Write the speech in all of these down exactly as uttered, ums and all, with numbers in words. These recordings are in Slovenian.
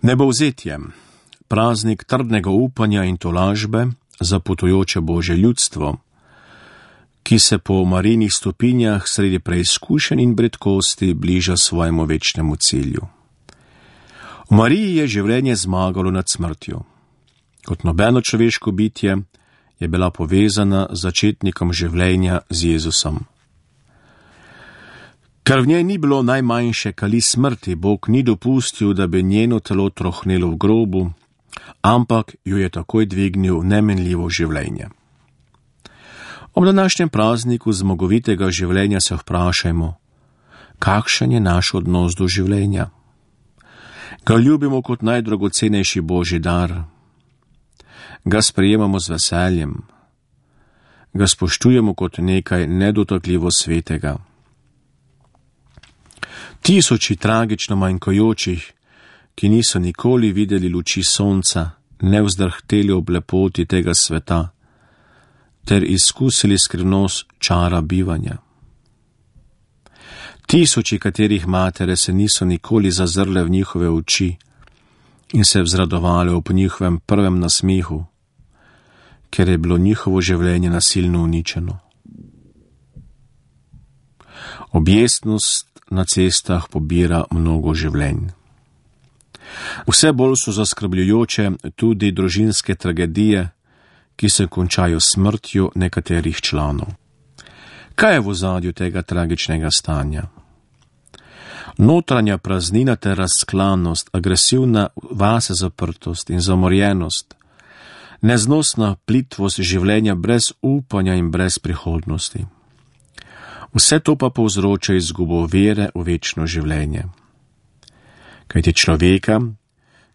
Nebovzetje, praznik trdnega upanja in tolažbe za potujoče Božje ljudstvo, ki se po Marijinih stopinjah sredi preizkušenj in bredkosti bliža svojemu večnemu cilju. V Mariji je življenje zmagalo nad smrtjo. Kot nobeno človeško bitje je bila povezana z začetnikom življenja z Jezusom. Ker v njej ni bilo najmanjše kali smrti, Bog ni dopustil, da bi njeno telo trohnelo v grobu, ampak jo je takoj dvignil v nemenljivo življenje. Ob današnjem prazniku zmagovitega življenja se vprašajmo, kakšen je naš odnos do življenja? Ga ljubimo kot najdragocenejši Božji dar? Ga sprejemamo z veseljem? Ga spoštujemo kot nekaj nedotakljivo svetega? Tisoči tragično manjkajočih, ki niso nikoli videli luči sonca, ne vzdrhteli ob lepoti tega sveta, ter izkusili skrivnost čara bivanja. Tisoči, katerih matere se niso nikoli zazrle v njihove oči in se vzradovale ob njihovem prvem nasmehu, ker je bilo njihovo življenje nasilno uničeno. Objestnost na cestah pobira mnogo življenj. Vse bolj so zaskrbljujoče tudi družinske tragedije, ki se končajo smrtjo nekaterih članov. Kaj je v ozadju tega tragičnega stanja? Notranja praznina ter razklanost, agresivna vase zaprtost in zamorjenost, neznosna plitvost življenja brez upanja in brez prihodnosti. Vse to pa povzroča izgubo vere v večno življenje. Kajti človeka,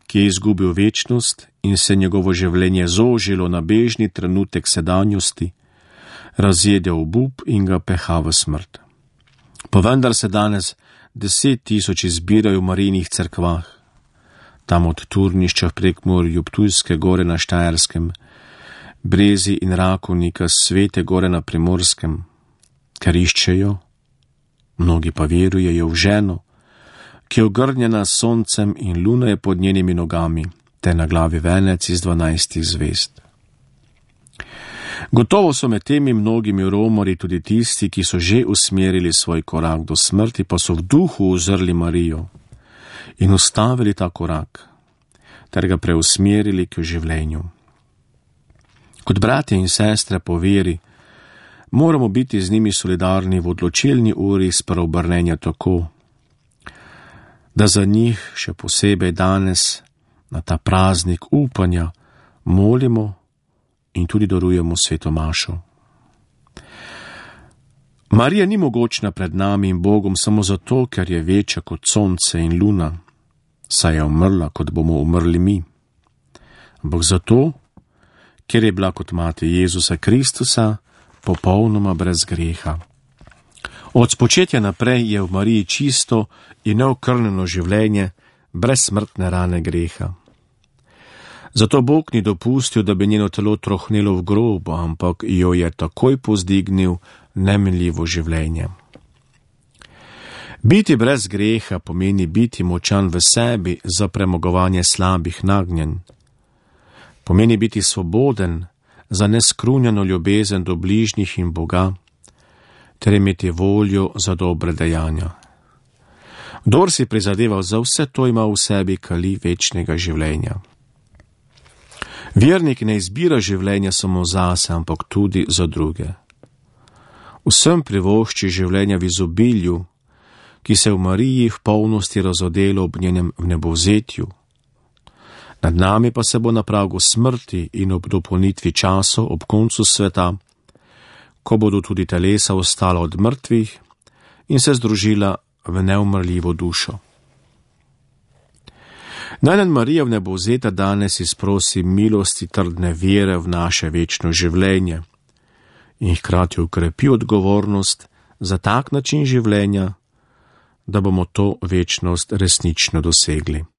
ki je izgubil večnost in se njegovo življenje zožilo na bežni trenutek sedanjosti, razjede obup in ga peha v smrt. Pa vendar se danes deset tisoči zbirajo v Marijinih cerkvah, tam od Turnišča v Prekmurju, Ptujske gore na Štajerskem, Brezi in Rakovnika, Svete gore na Primorskem, ker iščejo, mnogi pa verujejo v ženo, ki je ogrnjena s soncem in luna je pod njenimi nogami, te na glavi venec iz dvanajstih zvezd. Gotovo so med temi mnogimi romori tudi tisti, ki so že usmerili svoj korak do smrti, pa so v duhu uzrli Marijo in ustavili ta korak, ter ga preusmerili k življenju. Kot bratje in sestre po veri, moramo biti z njimi solidarni v odločilni uri spreobrnenja tako, da za njih še posebej danes, na ta praznik upanja, molimo in tudi darujemo sveto mašo. Marija ni mogočna pred nami in Bogom samo zato, ker je večja kot sonce in luna, saj je umrla, kot bomo umrli mi, ampak zato, ker je bila kot mati Jezusa Kristusa popolnoma brez greha. Od spočetja naprej je v Mariji čisto in neokrnjeno življenje, brez smrtne rane greha. Zato Bog ni dopustil, da bi njeno telo trohnelo v grobu, ampak jo je takoj pozdignil nemenljivo življenje. Biti brez greha pomeni biti močan v sebi za premagovanje slabih nagnjenj. Pomeni biti svoboden za neskrunjeno ljubezen do bližnjih in Boga, ter imeti voljo za dobre dejanja. Kdor si prizadeval za vse to, ima v sebi kali večnega življenja. Vernik ne izbira življenja samo zase, ampak tudi za druge. Vsem privošči življenja v izobilju, ki se v Mariji v polnosti razodelo ob njenem vnebovzetju. Nad nami pa se bo na pragu smrti in ob dopolnitvi časov ob koncu sveta, ko bodo tudi telesa ostala od mrtvih in se združila v neumrljivo dušo. Naj nam Marija vnebovzeta danes izprosi milosti trdne vere v naše večno življenje in hkrati ukrepi odgovornost za tak način življenja, da bomo to večnost resnično dosegli.